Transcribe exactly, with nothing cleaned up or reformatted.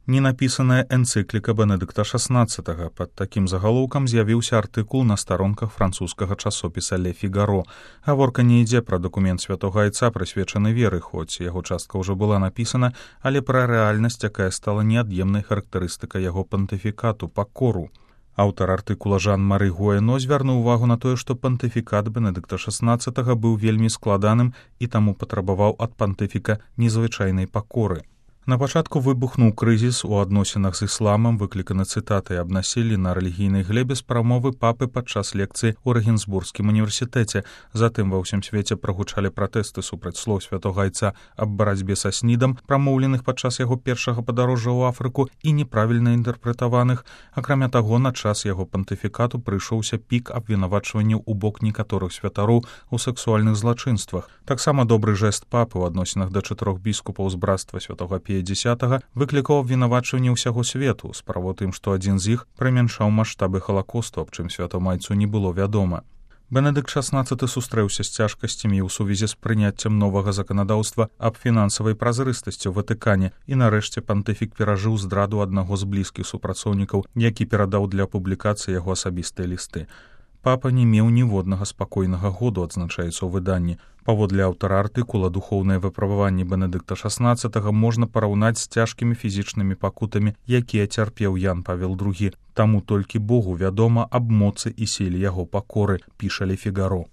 Ненапісаная энцыкліка Бенедыкта шаснаццатага. Пад такім загалоўкам з'явіўся артыкул на старонках французскага часопіса «Ле Фігаро». Гаворка не ідзе пра дакумент святога айца, прысвечаны веры, хоць яго частка ўжо была напісана, але пра рэальнасць, якая стала неад'емнай характарыстыкай яго пантыфікату, пакору. Аўтар артыкула Жан-Мары Гуэно звярнуў увагу на тое, што пантыфікат Бенедыкта шаснаццатага быў вельмі складаным і таму патрабаваў ад пантыфіка незвычайнай пакоры. На пачатку выбухнуў крызіс у адносінах з ісламам, выкліканы цытатай аб насіллі на рэлігійнай глебе з прамовы папы падчас лекцыі ў Рэгенсбургскім універсітэце. Затым ва ўсім свеце прагучалі пратэсты супраць слоў святога айца аб барацьбе са снідам, прамоўленых падчас яго першага падарожжа ў Афрыку і неправільна інтэрпрэтаваных. Акрамя таго, на час яго пантыфікату прыйшоўся пік абвінавачванняў у бок некаторых святароў у сэксуальных злачынствах. Таксама добры жэст папы ў адносінах да чатырох біскупаў з брацтва святога Пія дзесятага выклікаў абвінавачванне ўсяго свету, справа тым, што адзін з іх прымяншаў маштабы халакосту, аб чым святому айцу не было вядома. Бенедыкт шаснаццаты сустрэўся з цяжкасцямі ў сувязі з прыняццем новага заканадаўства аб фінансавай празрыстасці ў Ватыкане, і нарэшце пантыфік перажыў здраду аднаго з блізкіх супрацоўнікаў, які перадаў для публікацыі яго асабістыя лісты. Папа не меў ніводнага спакойнага году, адзначаецца ў выданні. Паводле аўтара артыкула, духоўныя выпрабаванні Бенедыкта шаснаццатага можна параўнаць з цяжкімі фізічнымі пакутамі, якія цярпеў Ян Павел другі. Таму толькі Богу вядома аб моцы і сіле яго пакоры, піша «Ле Фігаро».